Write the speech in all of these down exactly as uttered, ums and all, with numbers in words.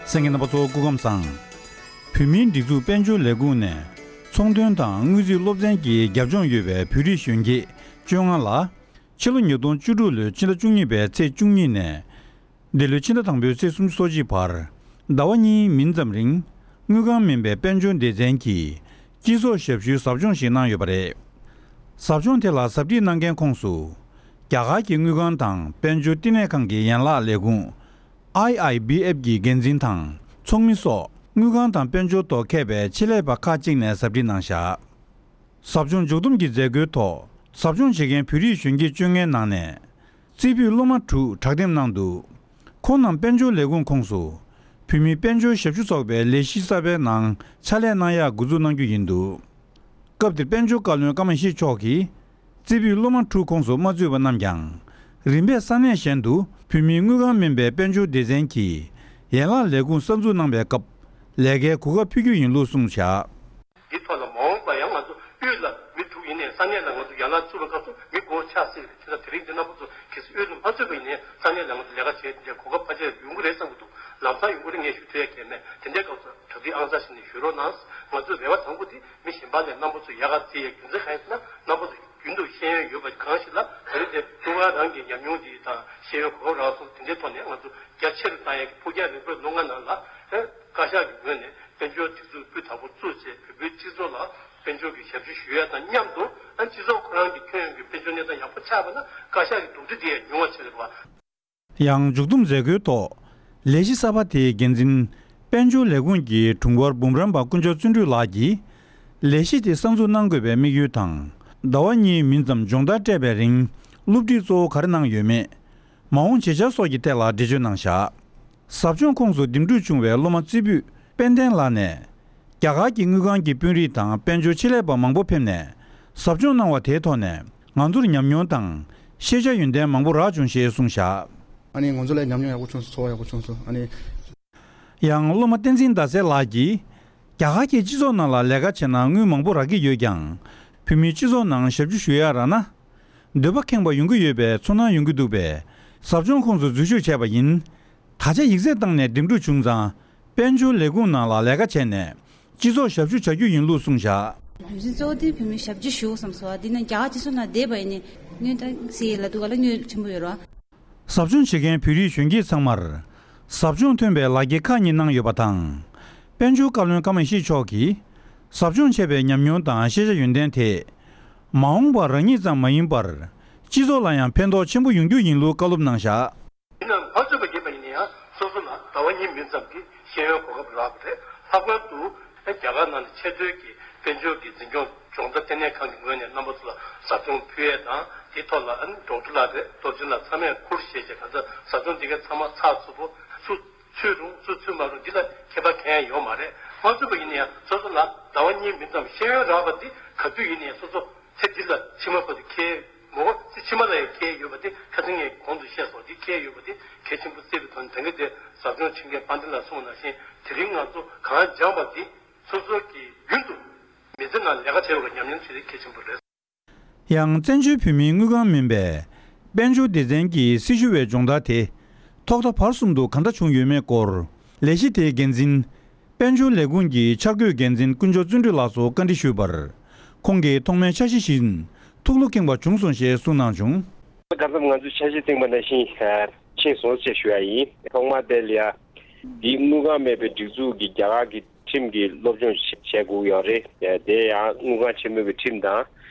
གསན་མཁན་རྣམ་པ་ཚོ་སྐུ་ཁམས་བཟང་། བོད་མིའི་སྒྲིག་འཛུགས་དཔལ་འབྱོར་ལས་ཁུངས་ནས་ཚོང་དོན་དང་དངུལ་རྩིས་སློབ་ཚན་གྱི་རྒྱབ་ལྗོངས་ཡོད་པའི་བོད་རིགས་གཞོན་སྐྱེས་བཅོ་ལྔ་ལ་ཕྱི་ལོ་ཉིས་སྟོང་བཅུ་དྲུག་ལོའི་ཕྱི་ཟླ་བཅུ་གཉིས་པའི་ཚེས་བཅུ་གཉིས་ནས་འདི་ལོའི་ཕྱི་ཟླ་དང་པོའི་ཚེས་སུམ་ཅུ་སོ་གཅིག་བར་ཟླ་བ་གཉིས་མིན་ཙམ་རིང་དངུལ་ཁང་མིན་པའི་དཔལ་འབྱོར་སྡེ་ཚན་གྱིས་སྤྱི་ཚོགས་ཞབས་ཞུའི་ཟབ་སྦྱོང་ཞིག་གནང་ཡོད་པ་རེད། ཟབ་སྦྱོང་དེ་ལ་ཟབ་ཁྲིད་གནང་མཁན་ཁོངས་སུ་རྒྱ་གར་གྱི་དངུལ་ཁང་དང་དཔལ་འབྱོར་བསྟི་གནས་ཁང་གི་ཡན་ལག་ལས་ཁུངས་ཨའི་ཨའི་བི་ཨེཕ་གི་འགན་འཛིན་དང་ཚོགས་མི་སོགས་དངུལ་ཁང་དང་དཔལ་འབྱོར་ཐོག་མཁས་པའི་ཆེད་ལས་པ་ཁག་ཅིག་ནས་ཟབ་ཁྲིད་གནང་བཞག་ཟབ་སྦྱོང་མཇུག་བསྡོམས་ཀྱི་མཛད་སྒོའི་ཐོག་ཟབ་སྦྱོང་བྱེད་མཁན་བོད་རིགས་གཞོན་སྐྱེས་བཅོ་ལྔའི་ནང་ནས་རྩེ་ཕུད་སློབ་མ་དྲུག་དྲག་འདེམས་གནང་འདུག་ཁོང་རྣམས་དཔལ་འབྱོར་ལས་ཁུངས་ཁོངས་སུ་བོད་མིའི་དཔལ་འབྱོར་ཞབས་ཞུ་ཚོགས་པའི་ལས་གཞི་གསར་པའི་ནང་ཕྱག་ལས་གནང་ཡག་འགོ་འཛུགས་གནང་རྒྱུ་ཡིན་འདུག་སྐབས་དེར་དཔལ་འབྱོར་བཀའ་བློན་ཀརྨ་ཡེ་ཤེས་མཆོག་གིས་རྩེ་ཕུད་སློབ་མ་དྲུག་ཁོངས་སུ་མ་ཚུད་པ་རྣམས་ཀྱང་རིམ་པས་ས་གནས་གཞན་དུ་བོད་མིའི་དངུལ་ཁང་མིན་པའི་དཔལ་འབྱོར་སྡེ་ཚན་གྱི་ཡན་ལག་ལས་ཁུངས་གསར་འཛུགས་གནང་བའི་སྐབས་ལས་ཀའི་གོ་སྐབས་ཕུལ་རྒྱུ་ཡིན་ལུགས་གསུངས་བཞག་འདི་ཐོག་ལ་མ་འོངས་པ་ཡང་ང་ཚོ་དབུས་ལ་མི་དྲུག་ཡིན་ནའི་ས་གནས་ལ་ང་ཚོ་ཡན་ལག་བཙུགས་པའི་སྐབས་སུ་མི་དགོས་ཆགས་སྲིད་རེད། དེ་ལ་དེ་རིང་འདི་རྣམ་པ་ཚོ་གལ་སྲིད་དབུས་ལ་མ་ཚུད་པ་ཡིན་ནའི་ས་གནས་ལ་ང་ཚོ་ལས་ཀ་བྱེད་དེ་འདྲའི་གོ་སྐབས་ཕལ་ཆེར་ཡོང་གི་རེད་བསམ་གྱི་འདུག་ལམ་སང་ཡོང་གི་རེད་ངས་ཞུ་ཐུབ་ཡ་གལ་མེད། དེ་འདྲའི་སྐབས་སུ་གྲ་སྒྲིག་ཨང་གསར་ཞིག་ནས་ཞུ་རོགས་གནང་། ང་ཚོའི་རེ་བ་དང་པོ་འདི་མི་གཞན་པ་ལས་རྣམ་པ་ཚོ་ཡག་ག་བརྩི་ཡའི་རྒྱུ་མཚན་གང་ཡིན་ཟེར་ན་རྣམ་པ་ཚོ་རྒྱུན་དུ་ཤེས་ཡོན་ཡོད་པ་གང་ཞིག་ལ་ད་རེས་དེ་ཀྲུང་དབྱང་རང་གི་ཉམས་མྱོང་འདི་དང་ཤེས་ཡོན་གོ་སྐབས་རག་སོང་། དེ་འདྲའི་ཐོག་ནས་ང་ཚོ་རྒྱ་ཆེ་རུ་བཏང་ཡས་ཀྱི་ཕུགས་རྒྱང་རིང་པོའི་ལོ་ལྔ་ནང་ལ་བཀའ་ཤག་གི་ངོས་ནས་དཔལ་འབྱོར་སྒྲིག་འཛུགས་སྤུས་དག་པོ་བཙུགས་བྱས་བོད་པའི་སྤྱི་ཚོགས་ལ་དཔལ་འབྱོར་གྱི་ཞབས་ཞུ་ཞུ་ཡས་དང་མཉམ་དུ་སྤྱི་ཚོགས་ཁོ་རང་གི་ཁྱོན་ཡོངས་ཀྱི་དཔལ་འབྱོར་གནས་སྟངས་ཡག་པོ་ཆགས་པ་ན་བཀའ་ཤག་གི་གདུང་སེམས་དེ་ཡང་ཉུང་བ་ཆགས་ཀྱི་རེད་བ། ཡང་མཇུག་བསྡོམས་མཛད་སྒོའི་ཐོག་ལས་གཞི་གསར་པ་དེའི་འགན་འཛིན་དཔལ་འབྱོར་ལས་ཁུངས་ཀྱི་དྲུང་འཁོར་འབུམ་རམས་པ་དཀོན་མཆོག་བརྩོན་འགྲུས་ལགས་ཀྱིས་ལས་གཞི་དེ་གསར་འཛུགས་གནང་དགོས་པའི་དམིགས་ཡུལ་དང་ཟླ་བ་གཉིས་མིན་ཙམ་སྦྱོང་བརྡར་སྤྲད་པའི་རིང་སློབ་ཁྲིད་གཙོ་བོ་ག་རེ་གནང་ཡོད་མེད། མ་འོངས་བྱེད་འཆར་སོགས་ཀྱི་ཐད་ལ་འགྲེལ་བརྗོད་གནང་བཞག་ཟབ་སྦྱོང་ཁོངས་སུ་འདེམས་སྒྲུག་བྱུང་བའི་སློབ་མ་རྩེ་ཕུད་དཔལ་ལྡན་ལགས་ནས། རྒྱ་གར་གྱི་དངུལ་ཁང་གི་དཔོན་རིགས་དང་དཔལ་འབྱོར་ཆེད་ལས་པ་མང་པོ་ཕེབས་ནས་ཟབ་སྦྱོང་གནང་བ་དེའི་ཐོག་ནས་ང་ཚོར་ཉམས་མྱོང་དང་ཤེས་བྱ་ཡོན་ཏན་མང་པོ་རག་བྱུང་ཞེས་གསུངས་བཞག་ཨ་ནི་ང་ཚོ་ལ་ཉམས་མྱོང་ཡག་པོ་བྱུང་སོང་། ཚོར་བ་ཡག་པོ་བྱུང་སོང་། ཨ་ནི། ཡང་སློབ་མ་བསྟན་འཛིན་ཟླ་གསལ་ལགས་ཀྱིས་རྒྱ་གར་གྱི་སྤྱི་ཚོགས་ནང་ལ་ལས་ཀ་བྱས་ན་དངུལ་མང་པོ་རག་གི་ཡོད་ཀྱང་བོད་མིའི་སྤྱི་ཚོགས་ནང་ཞབས་ཞུ་ཞུ་ཡ་རག་ན། འདོད་པ་ཁེངས་པ་ཡོང་གི་ཡོད་པའི་ཚོར་སྣང་ཡོང་གི་འདུག་པས་ཟབ་སྦྱོང་ཁོངས་སུ་འཛུལ་ཞུགས་བྱས་པ་ཡིན། ད་ཆ་ཡིག་ཚད་བཏང་ནས་འདེམས་སྒྲུག་བྱུང་ཙང་དཔལ་འབྱོར་ལས་ཁུངས་ནང་ལ་ལས་ཀ་བྱས་ནས་སྤྱི་ཚོགས་ཞབས་ཞུ་བྱ་རྒྱུ་ཡིན་ལུགས་གསུངས་བཞག་རྒྱུ་མཚན་གཙོ་བོ་དེ་བོད་མི་ཞབས་ཕྱི་ཞུ་བསམ་སོང་། འདི་ནི་རྒྱ་གར་སྤྱི་ཚོགས་ནང་བསྡད་པ་ཡིན་ནའི་དངུལ་ད་སི་ལ་འདུག་ག་ལ་དངུལ་ཆེན་པོ་ཡོད་རེད་བ། ཟབ་སྦྱོང་བྱེད་མཁན་བོད་རིགས་གཞོན་སྐྱེས་ཚང་མར་ཟབ་སྦྱོང་ཐོན་པའི་ལག་འཁྱེར་ཁག་གཉིས་གནང་ཡོད་པ་དང་། དཔལ་འབྱོར་བཀའ་བློན་ཀརྨ་ཡེ་ཤེས་མཆོག་གིས་ཟབ་སྦྱོང་བྱས་པའི་ཉམས་མྱོང་དང་ཤེས་བྱ་ཡོན་ཏན་དེ། མ་འོངས་པར་རང་ཉིད་ཙམ་མ་ཡིན་པར་སྤྱི་ཚོགས་ལ་ཡང་ཕན་ཐོགས་ཆེན་པོ་ཡོང་རྒྱུ་ཡིན་ལུགས་བཀའ་སློབ་གནང་བཞག་ཡིན་ནའང་མ་ཚུད་པ་ཡིན་པ་ཡིན་ན་ཡང་སོ་སོ་ལ་ཟླ་བ་གཉིས་མིན་ཙམ་གྱི་ཤེས་ཡོན་གོ་སྐབས་རག་པ་རེད། ལྷག་པར་དུ་རྒྱ་གར་ནང་ནས་ཆེས་མཐོའི་གི་དཔལ་འབྱོར་གྱི་འཛིན་སྐྱོང་སྦྱོང་བརྡར་ལྟེ་གནས་ཁང་གི་ངོས་ནས་རྣམ་པ་ཚོ་ལ་ཟབ་སྦྱོང་ཕུལ་ཡས་དང་དེའི་ཐོག་ལ་ཨ་ནི་ཌོག་ཊར་ལགས་རེད། སློབ་ཆེན་ལགས་ཚང་མས་ཁུར་བཞེས་བྱས་ག་ཚོད་ཟབ་སྦྱོང་འདི་གའི་ཚང་མ་ཚགས་ཚུད་པོ་ཚུད་ཚུད་རུང་ཚུད་ཚུད་མ་རུང་འདི་ལ་ཁྱད་པར་གང་ཡང་ཡོད་མ་རེད། མ་ཚུད་པ་ཡིན་ན་ཡང་སོ་སོ་ལ་ཟླ་བ་གཉིས་མིན་ཙམ་ཤེས་ཡོན་རག་པ་འདི་ག་དུས་ཡིན་ན་ཡང་སོ་སོ་ཚེ་འདི་ལ་ཕྱི་མ་བར་དུ་ཁེལ་མོ་ཚེ་ཕྱི་མ་ལ་ཡང་ཁེལ་ཡོད་པ་དེ་ཁ་སང་ངས་གོང་དུ་བཤད་སོང་། འདི་ཁེལ་ཡོད་པ་དེ་གལ་ཆེན་པོ་བརྩི་བའི་ཐོག་ནས་ད་གིན་དེ་ཟབ་སྦྱོང་ཆེན་མཁན་དཔལ་ལྡན་ལགས་གསུངས་པ་ནང་བཞིན་དེ་རིང་ང་ཚོ་གང་སྦྱངས་པ་དེ་སོ་སོ་གི་རྒྱུན་དུ་མི་ཚེ་ནང་ལས་ཀ་བྱེད་པའི་ཉམས་མྱོང་བྱེད་དེ་གལ་ཆེན་པོ་རེད། ཡང་བཙན་བྱོལ་བོད་མིའི་དངུལ་ཁང་མིན་པའི་དཔལ་འབྱོར་སྡེ་ཚན་གྱི་སྲི་ཞུ་བའི་སྦྱོང་བརྡར་དེ་ཐོག་མཐའ་བར་གསུམ་དུ་གང་འདྲ་བྱུང་ཡོད་མེད་སྐོར་ལས་གཞི་དེའི་འགན་འཛིན་དཔལ་འབྱོར་ལས་ཁུངས་ཀྱི་འཆར་འགོད་འགན་འཛིན་དཀོན་མཆོག་བརྩོན་འགྲུས་ལགས་སུ་བཀའ་འདྲི་ཞུས་པར་ཁོང་གིས་ཐོག་མའི་འཆར་གཞི་བཞིན་ཐུགས་བློ་ཁེངས་པ་བྱུང་སོང་ཞེས་གསུངས་གནང་བྱུང་། ཁ་སང་ང་ཚོས་འཆར་གཞི་བཏིང་པ་ནང་བཞིན་ཕྱིན་སོང་ཞེས་ཞུ་ཡ་ཡིན། ཐོག་མ་དེ་ལ་ཡ་འདིའི་དངུལ་ཁང་མེད་པའི་སྒྲིག་འཛུགས་ཀྱི་རྒྱ་གར་གྱི་ཁྲིམས་ཀྱི་སློབ་སྦྱོང་བྱེད་དགོས་ཡོད་རེད། དེ་ཡང་དངུལ་ཁང་ཆེན་མོའི་གི་ཁྲིམས་དང་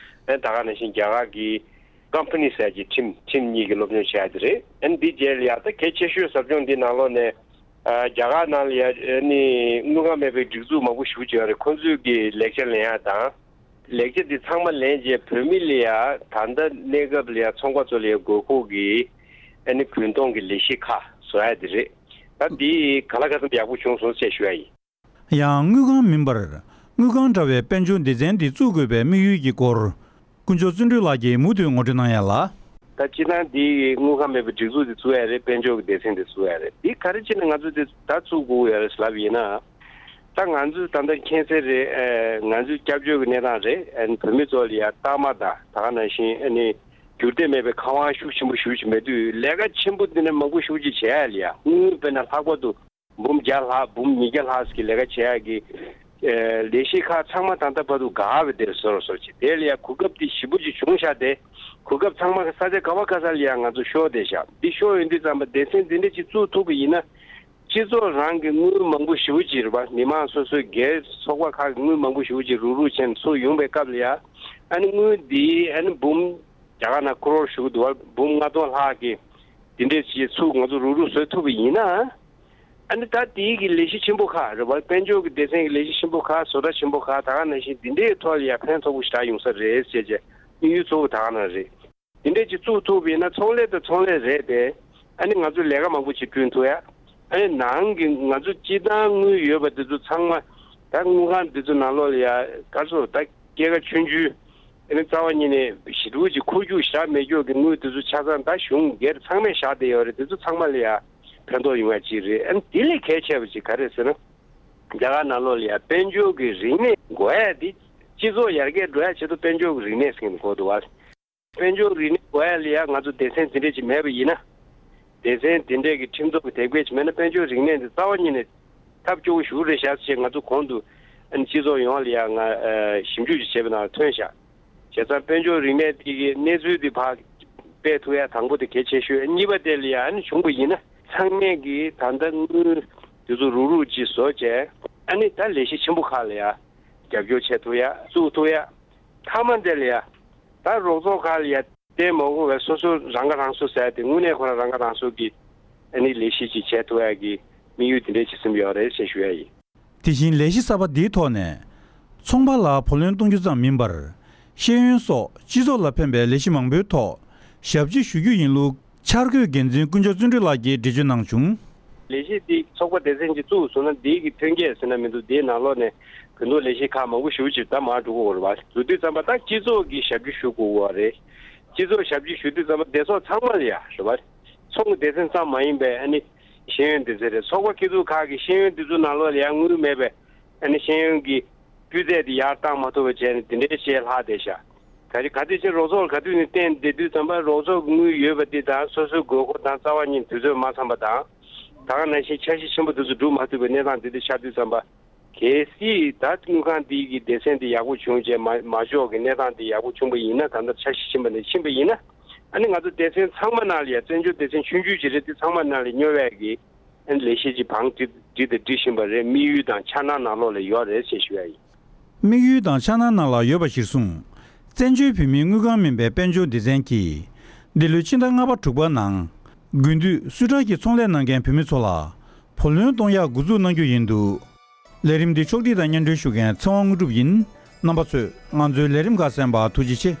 ཨ་ད་ག་ནང་བཞིན་རྒྱ་གར་གྱི་ཀམ་པ་ནི་ཟེར་གྱི་ཁྲིམས་ཁྲིམས་གཉིས་ཀྱི་སློབ་སྦྱོང་བྱས་ཡ་དེ་རེད། ཨ་ནི་འདི་རྗེས་ལ་ཡ་ད་གལ་ཆེ་ཤོས་ཟབ་སྦྱོང་འདི་ནང་ལོགས་ནས་ཨ་རྒྱ་གར་ནང་ལ་ཡ་ཨ་ནི་དངུལ་ཁང་མེད་པའི་སྒྲིག་འཛུགས་མང་པོ་ཞེ་པོ་ཅིག་ཡོད་རེད། ཁོང་ཚོས་ཀྱི་ལེགས་ཆ་ལེན་ཡ་དང་། ལེགས་ཆ་འདི་ཚང་མ་ལེན་རྗེས་བོད་མི་ལ་ཡ་ད་ལྟ་གནས་སྐབས་ལ་ཡ་ཚོང་པ་ཚོ་ལ་ཡ་དགོས་མཁོ་གི་ཨ་ནི་གུན་གཏོང་གི་ལས་གཞི་ཁག་བཟོ་ཡ་དེ་རེད། ད་འདི་ག་ལ་ག་ཚོད་ཡག་པོ་བྱུང་སོང་ཞེས་ཞུ་ཡ་ཡིན། ཡང་དངུལ་ཁང་མིན་པར་དངུལ་ཁང་འདྲ་བའི་དཔལ་འབྱོར་སྡེ་ཚན་འདི་བཙུགས་དགོས་པའི་དམིགས་ཡུལ་གྱི་སྐོར་དཀོན་མཆོག་བརྩོན་འགྲུས་ལགས་ཀྱིས་མུ་མཐུད་ངོ་སྤྲོད་གནང་ཡ་ལ། ད་སྤྱིར་བཏང་འདི་དངུལ་ཁང་མེད་པའི་སྒྲིག་འཛུགས་འདི་བཙུགས་ཡ་རེད། དཔལ་འབྱོར་གྱི་སྡེ་ཚན་འདི་བཙུགས་ཡ་རེད། འདི་ག་རེ་བྱས་ནས་ང་ཚོ་འདི་ད་བཙུགས་དགོས་ཡ་རེད་ལབ་ཡིན་ན། ད་ང་ཚོ་ད་ལྟ་མཁྱེན་གསལ་རེད། ཨ་ང་ཚོའི་སྐྱབས་བཅོལ་གྱི་གནས་སྟངས་རེད། ཨ་ནི་བོད་མི་ཚོ་ལ་ཡ་རྟགས་མ་དང་ད་ག་ནང་བཞིན་ཨ་ནི་འགྱུར་བདེ་མེད་པའི་ཁ་དབང་ཤུགས་ཆེན་པོ་ཞེ་པོ་ཅིག་མེད་དུས་ལས་ཀ་ཆེན་པོ་འདི་ནས་མང་པོ་ཞེ་པོ་ཅིག་བྱས་ཡ་ལ་ཡ་དངུལ་དཔེར་ན་ལྷག་པར་དུ། འབུམ་བརྒྱ་ལྷག་འབུམ་ཉིས་བརྒྱ་ལྷག་ཙམ་གྱི་ལས་ཀ་བྱེད་ཡག་གི་ལས་གཞི་ཁག་ཚང་མ་ད་ལྟ་བར་དུ་འགག་པའི་དེར་བཟོ་རུ་བཟོ་བྱེད། དེ་ལ་ཡང་གོ་སྐབས་དེ་ཞེ་པོ་ཅིག་བྱུང་ཤག་དེ། གོ་སྐབས་ཚང་མ་ས་ཆ་ག་བ་ག་ས་ལ་ཡང་ང་ཚོ་ཤོར་བསྡད་ཤག་འདི་ཤོར་ཡོང་དུས་ཙམ་པ་སྡེ་ཚན་འདི་འདྲ་ཅིག་བཙུགས་ཐུབ་པ་ཡིན་ན། སྤྱི་ཚོགས་རང་གི་དངུལ་མང་པོ་ཞེ་པོ་ཅིག་རེད་པ། མི་མང་སོ་སོའི་སྒེར་ཚོགས་པ་ཁག་གི་དངུལ་མང་པོ་ཞེ་པོ་ཅིག་རུག་རུག་བྱས་ནས་ཚུར་ཡོང་པའི་སྐབས་ལ་ཡ། ཨ་ནི་དངུལ་འདི་ཨ་ནི་འབུམ་རྒྱ་གར་ནང་ཀོ་རོར་ཞུ་གི་འདུག་བ། འབུམ་ལྔ་སྟོང་ལྷག་གི་འདི་འདྲས་ཅིག་ཚུར་ང་ཚོ་རུག་རུག་བཟོ་ཐུབ་པ་ཡིན་ན། ཨ་ནི་ད་དེའི་གི་ལས་གཞི་ཆེན་པོ་ཁག་རེད་བ། དཔལ་འབྱོར་གྱི་སྡེ་ཚན་གྱི་ལས་གཞི་ཆེན་པོ་ཁག་བཟོ་གྲྭ་ཆེན་པོ་ཁག་ད་ག་ནང་བཞིན་འདི་འདྲའི་ཐོག་ལ་ཡ་ཕན་ཐོགས་པོ་ཞེ་དྲག་ཡོང་ས་རེད་ཟེར་བྱས་དམིགས་ཡུལ་གཙོ་བོ་ད་ག་ནང་རེད། དེ་འདྲས་ཅིག་བཙུགས་ཐུབ་པ་ཡིན་ན་ཚོང་ལས་དང་ཚོང་ལས་རེད་དེ། ཨ་ནི་ང་ཚོ་ལས་ཀ་མང་པོ་ཅིག་བསྐྲུན་ཐུབ་ཡ། ཨ་ནི་ནང་གི་ང་ཚོ་སྤྱི་བཏང་དངུལ་ཡོད་པ་འདི་ཚོ་ཚང་མ་ད་དངུལ་ཁང་འདི་ཚོ་ནང་ལོགས་ལ་ཡ་ག་ཚོད་ད་སྐྱེད་ཀ་ཆུང་ཆུང་། ཨ་ནི་རྩ་བ་ཉིད་ནས་ཞེ་དྲག་ཅིག་འཁོར་རྒྱུག་བཞག་མེད་རྒྱུ་གི་དངུལ་འདི་ཚོ་ཆ་ཚང་ད་གཞུང་སྒེར་ཚང་མས་བཞག་བསྡད་ཡོད་རེད། འདི་ཚོ་ཚང་མ་ལ་ཡ་ཕན་ཐོགས་ཡོང་ཡ་ཅིག་རེད། ཨ་ནི་དེ་ལས་གལ་ཆེ་བ་ཅིག་ག་རེ་ཟེར་ན། རྒྱ་གར་ནང་ལོགས་ལ་ཡ་དཔལ་འབྱོར་གྱི་རིག་གནས་དགོས་ཡ་དེ། སྤྱི་ཚོགས་ཡར་རྒྱས་འགྲོ་ཡ་ཆེད་དུ་དཔལ་འབྱོར་གྱི་རིག་གནས་ཟེར་གྱི་འདུག་གོ་འདུག་བ། དཔལ་འབྱོར་རིག་གནས་དགོས་ཡ་ལ་ཡ་ང་ཚོ་སྡེ་ཚན་འདི་འདྲས་ཅིག་མེད་པ་ཡིན་ན། སྡེ་ཚན་འདི་འདྲས་ཀྱི་ཁྲིམས་ཐོག་གི་དེབ་སྐྱེལ་ཅིག་མེད་ན་དཔལ་འབྱོར་རིག་གནས་འདི་རྩ་བ་ཉིད་ནས་ཐབས་སྐྱོ་བོ་ཞིག་རེད་ཤག་ཅེས་ང་ཚོ་གོང་དུ་ཨ་ནི་སྤྱི་ཚོགས་ཡོངས་ལ་ཡ་ང་ཞིབ་འཇུག་ཅིག་བྱས་པའི་ནང་ཐོན་ཤག་བྱས་ཙང་དཔལ་འབྱོར་རིག་གནས་དེ་གི་གནས་ཚུལ་དེ་ཕར་སྤེལ་ཐུབ་ཡ་དང་པོ་དེ་གལ་ཆེ་ཤོས། གཉིས་པ་དེ་ལ་ཡ་ཨ་ནི་བྱུང་བ་ཡིན་ན་ཚང་མས་ཀྱི་ད་ལྟ་དངུལ་དེ་ཚོ་རུག་རུག་ཅིག་བཟོ་བྱས། ཨ་ནི་ད་ལས་གཞི་ཆེན་པོ་ཁག་ལ་ཡ་རྒྱབ་སྐྱོར་བྱེད་ཐུབ་ཡ་བཙུགས་ཐུབ་ཡ། མཐའ་མ་དེ་ལ་ཡ་ད་རོགས་ཚོགས་ཁག་ལ་ཡ་བརྟེན་མ་དགོས་པའི་སོ་སོ་རང་ཁ་རང་གསོ་ཟེར་ཏེ་དངོས་གནས་ཁོ་རང་རང་ཁ་རང་གསོ་གི་ཨ་ནི་ལས་གཞི་ཅིག་བྱེད་ཐུབ་ཡ་གི་དམིགས་ཡུལ་དེ་འདྲས་ཅིག་སེམས་ཡོད་རེད་ཅེས་ཞུ་ཡ་ཡིན། དེ་བཞིན་ལས་གཞི་གསར་པ་འདིའི་ཐོག་ནས། ཚོང་པ་ལ་བུ་ལོན་གཏོང་རྒྱུ་ཙམ་མིན་པར། ཤེས་ཡོན་སོགས་སྤྱི་ཚོགས་ལ་ཕན་པའི་ལས་གཞི་མང་པོའི་ཐོག་ཞབས་ཕྱི་ཞུ་རྒྱུ་ཡིན་ལུགས་འཆར་འགོད་འགན་འཛིན་དཀོན་མཆོག་བརྩོན་འགྲུས་ལགས་ཀྱིས་འགྲེལ་བརྗོད་གནང་བྱུང་། ལས་གཞི་འདི་ཚོགས་པ་སྡེ་ཚན་གྱིས་བཙུགས་སོང་ན་འདིའི་གི་ཐོན་སྐྱེད་ཟེར་ན་མི་འདུག་འདིའི་ནང་ལོགས་ནས་བོད་འདོད་ལས་གཞི་ཁག་མང་པོ་ཞེ་པོ་ཅིག་ད་མར་འགྲོ་གི་ཡོད་རེད་བ། འགྲོ་དུས་ཙམ་པ་ད་སྤྱི་ཚོགས་ཀྱི་ཞབས་ཕྱི་ཞུ་དགོས་པ་རེད། སྤྱི་ཚོགས་ཞབས་ཕྱི་ཞུ་དུས་ཙམ་པ་སྡེ་ཚོགས་ཚང་མ་ལ་ཡ་རེད་བ། ཚོང་གི་སྡེ་ཚན་ཙམ་མ་ཡིན་པའི་ཨ་ནི་ཤེས་ཡོན་སྡེ་ཚན་རེད། ཚོགས་པ་སྐྱིད་སྡུག་ཁག་གི་ཤེས་ཡོན་འདི་ཚོ་ནང་ལོགས་ལ་ཡང་དངུལ་མེད་པའི་ཨ་ནི་ཤེས་ཡོན་གྱི་སྤུས་ཚད་དེ་ཡར་བཏང་མ་ཐུབ་པ་བྱས་ནས་དེ་འདྲའི་ཞེ་ལྷག་བསྡད་ཤག་ག་རེ་ག་དུས་ཕྱིན་རོགས་ཚོགས་ལ་ག་དུས་ནས་བརྟེན་བསྡད་དུས་ཙམ་པ་རོགས་ཚོགས་ཀྱི་དངུལ་ཡོད་པ་དེ་དང་སོ་སོའི་དགོས་མཁོ་དང་རྩ་བ་ཉིད་དུས་ཚོད་མ་འཚམ་པ་དང་། ད་ག་ནང་བཞིན་འཆར་གཞི་ཆེན་པོ་དེ་ཚོ་འགྲུབ་མ་ཐུབ་པའི་གནས་སྟངས་དེ་འདྲ་ཆགས་དུས་ཙམ་པ། གལ་སྲིད་ད་དངུལ་ཁང་འདི་གི་སྡེ་ཚན་འདི་ཡག་པོ་བྱུང་རྗེས་མ་མ་འཇོག་གི་གནས་སྟངས་འདི་ཡག་པོ་བྱུང་པ་ཡིན་ན། ད་ལྟ་འཆར་གཞི་ཕྱིན་པ་ནས་ཕྱིན་པ་ཡིན་ན། ཨ་ནི་ང་ཚོ་སྡེ་ཚན་ཚང་མ་ནང་ལ་ཡ་བཙན་བྱོལ་སྡེ་ཚན་ཆུང་ཆུང་ཅིག་རེད། དེ་ཚང་མ་ནང་ལ་སྨྱོ་བས་ཀྱི་ཨ་ནི་ལས་གཞི་ཅིག་བང་སྒྲིག་སྒྲིག་དང་སྒྲིག་བཞིན་པ་རེད། དམིགས་ཡུལ་དང་འཆར་སྣང་ནང་ལོགས་ལ་ཡོད་རེད་ཅེས་ཞུ་ཡ་ཡིན། དམིགས་ཡུལ་དང་འཆར་སྣང་ནང་ལ་ཡོད་པ་གཞིར་བཟུང་། བཙན་བྱོལ་བོད་མིའི་དངུལ་ཁང་མིན་པའི་དཔལ་འབྱོར་སྡེ་ཚན་གྱིས། འདི་ལོའི་ཕྱི་ཟླ་ལྔ་པ་དྲུག་པ་ནང་། དགུན་དུས་སུད་ཊར་གྱི་ཚོང་ལས་གནང་མཁན་བོད་མི་ཚོ་ལ། བུ་ལོན་གཏོང་ཡག་འགོ་འཛུགས་གནང་རྒྱུ་ཡིན་འདུག་ལས་རིམ་འདི་ཕྱོགས་སྒྲིག་དང་སྙན་སྒྲོན་ཞུ་མཁན་ཚེ་དབང་དངོས་གྲུབ་ཡིན། རྣམ་པ་ཚོས་ང་ཚོའི་ལས་རིམ་ཁག་གསན་པར་ཐུགས་རྗེ་ཆེ།